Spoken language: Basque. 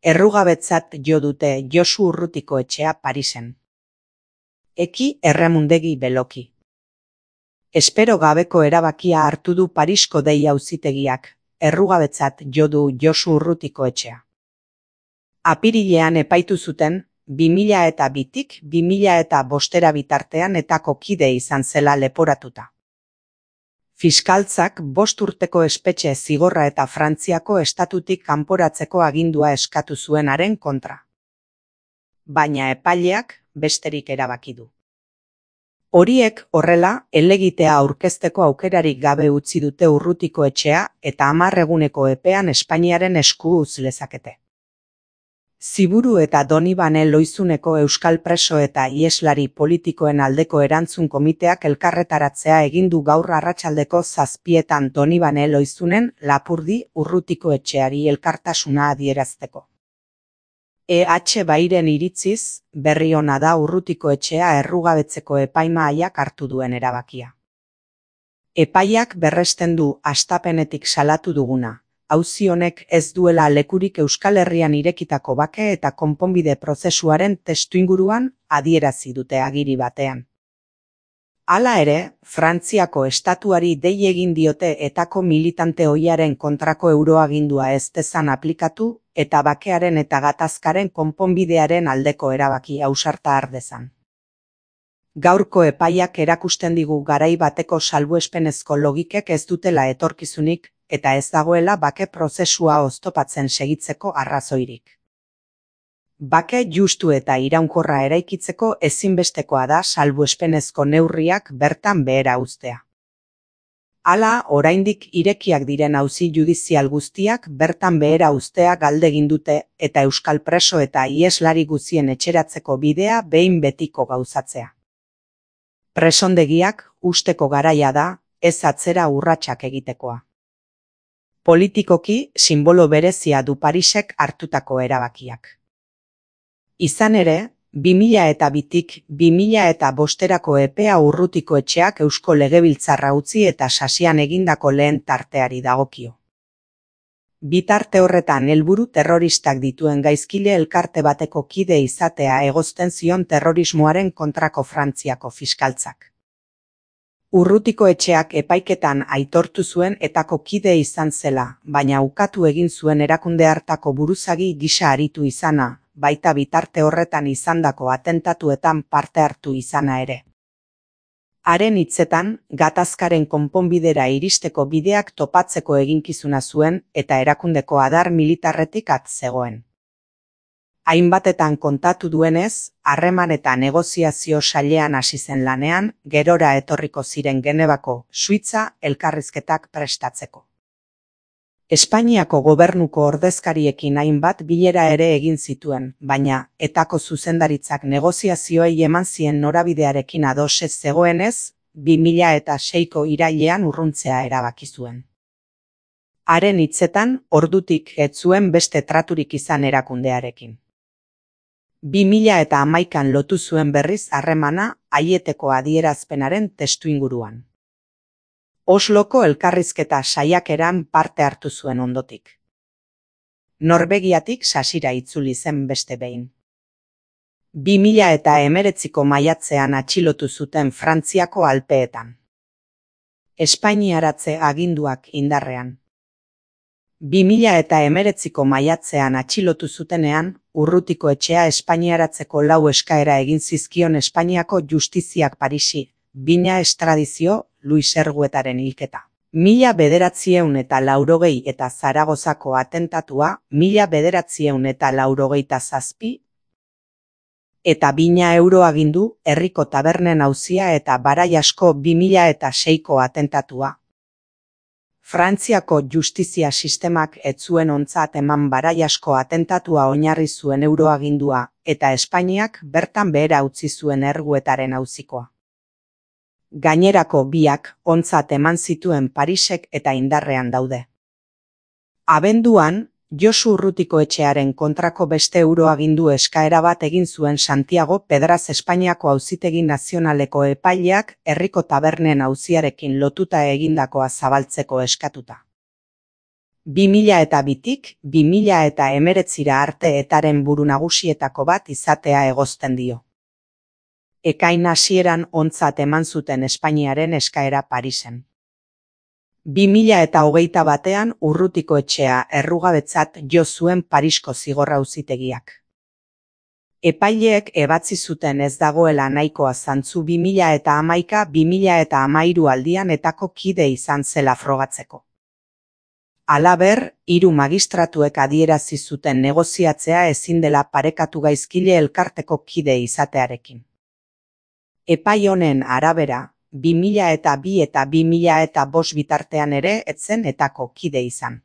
Errugabetzat jo dute Josu Urrutiko etxea Parisen. Eki erremundegi beloki. Espero gabeko erabakia hartu du Parisko dei auzitegiak, errugabetzat jo du Josu Urrutiko etxea. Apirilean epaitu zuten, 2002tik 2005 bitartean etako kide izan zela leporatuta. Fiskaltzak 5 urteko espetxe zigorra eta Frantziako estatutik kanporatzeko agindua eskatu zuen haren kontra. Baina epaileak besterik erabaki du. Horiek horrela, helegitea aurkezteko aukerarik gabe utzi dute Urrutiko etxea eta 10 eguneko epean Espainiaren esku utz lezakete. Ziburu eta Donibane Loizuneko euskal preso eta ieslari politikoen aldeko erantzun komiteak elkarretaratzea egin du gaur arratsaldeko 7etan Donibane Loizunen lapurdi Urrutiko etxeari elkartasuna adierazteko. EH Bairen iritziz, berri ona da Urrutiko etxea errugabetzeko epaimahaiak hartu duen erabakia. Epaiak berresten du hastapenetik salatu duguna. Auzi honek ez duela lekurik Euskal Herrian irekitako bake eta konponbide prozesuaren testuinguruan adierazi dute agiri batean. Hala ere, Frantziako estatuari dei egin diote etako militante ohiaren kontrako euroagindua ez dezan aplikatu eta bakearen eta gatazkaren konponbidearen aldeko erabaki ausarta har dezan. Gaurko epaiak erakusten digu garai bateko salbuespenezko logikek ez dutela etorkizunik, eta ez dagoela bake prozesua oztopatzen segitzeko arrazoirik. Bake justu eta iraunkorra eraikitzeko ezinbestekoa da salbuespenezko neurriak bertan behera uztea. Hala, oraindik irekiak diren auzi judizial guztiak bertan behera uztea galdegin dute eta euskal preso eta ieslari guztien etxeratzeko bidea behin betiko gauzatzea. Presondegiak usteko garaia da, ez atzera urratsak egitekoa. Politikoki sinbolo berezia du Parisek hartutako erabakiak. Izan ere, 2002tik 2005 epea Urrutiko etxeak Eusko Legebiltzarra utzi eta sasian egindako lehen tarteari dagokio. Bitarte horretan helburu terroristak dituen gaizkile elkarte bateko kide izatea egozten zion terrorismoaren kontrako Frantziako fiskaltzak. Urrutiko etxeak epaiketan aitortu zuen etako kide izan zela, baina ukatu egin zuen erakunde hartako buruzagi gisa aritu izana, baita bitarte horretan izandako atentatuetan parte hartu izana ere. Haren hitzetan, gatazkaren konponbidera iristeko bideak topatzeko eginkizuna zuen eta erakundeko adar militarretik at zegoen. Hainbatetan kontatu duenez, harreman eta negoziazio sailean hasi zen lanean, gerora etorriko ziren Genebako, Suitza elkarrizketak prestatzeko. Espainiako gobernuko ordezkariekin hainbat bilera ere egin zituen, baina etako zuzendaritzak negoziazioei eman zien norabidearekin ados ez zegoenez, 2006ko irailean urruntzea erabaki zuen. Haren hitzetan, ordutik ez zuen beste traturik izan erakundearekin. 2011an lotu zuen berriz harremana Aieteko adierazpenaren testuinguruan. Osloko elkarrizketa saiakeran parte hartu zuen ondotik. Norvegiatik sasira itzuli zen beste behin. 2019ko maiatzean atxilotu zuten Frantziako Alpeetan. Espainiaratze aginduak indarrean. 2019ko maiatzean atxilotu zutenean, Urrutiko etxea espainiaratzeko 4 eskaera egin zizkion Espainiako justiziak Parisi, bina estradizio, Luis Erguetaren hilketa. 1980 eta Zaragozako atentatua, 1987 eta bina euro agindu, herriko tabernen auzia eta barai asko 2006ko atentatua. Frantziako justizia sistemak ez zuen ontzat eman barai asko atentatua oinarri zuen euroagindua, eta Espainiak bertan behera utzi zuen Erguetaren auzikoa. Gainerako biak ontzat eman zituen Parisek eta indarrean daude. Abenduan, Josu Urrutiko etxearen kontrako beste euroagindu eskaera bat egin zuen Santiago Pedraz Espainiako Auzitegi Nazionaleko epaileak herriko tabernen auziarekin lotuta egindakoa zabaltzeko eskatuta. 2002tik 2019 arte etaren buru nagusietako bat izatea egozten dio. Ekain hasieran ontzat eman zuten Espainiaren eskaera Parisen. 2021 Urrutiko etxea errugabetzat jo zuen Parisko zigor auzitegiak. Epaileek ebatzi zuten ez dagoela nahikoa zantzu 2011-2013 aldian etako kide izan zela frogatzeko. Halaber, 3 magistratuek adierazi zuten negoziatzea ezin dela parekatu gaizkile elkarteko kide izatearekin. Epai honen arabera, 2002 eta 2005 bitartean ere ez zen etako kide izan.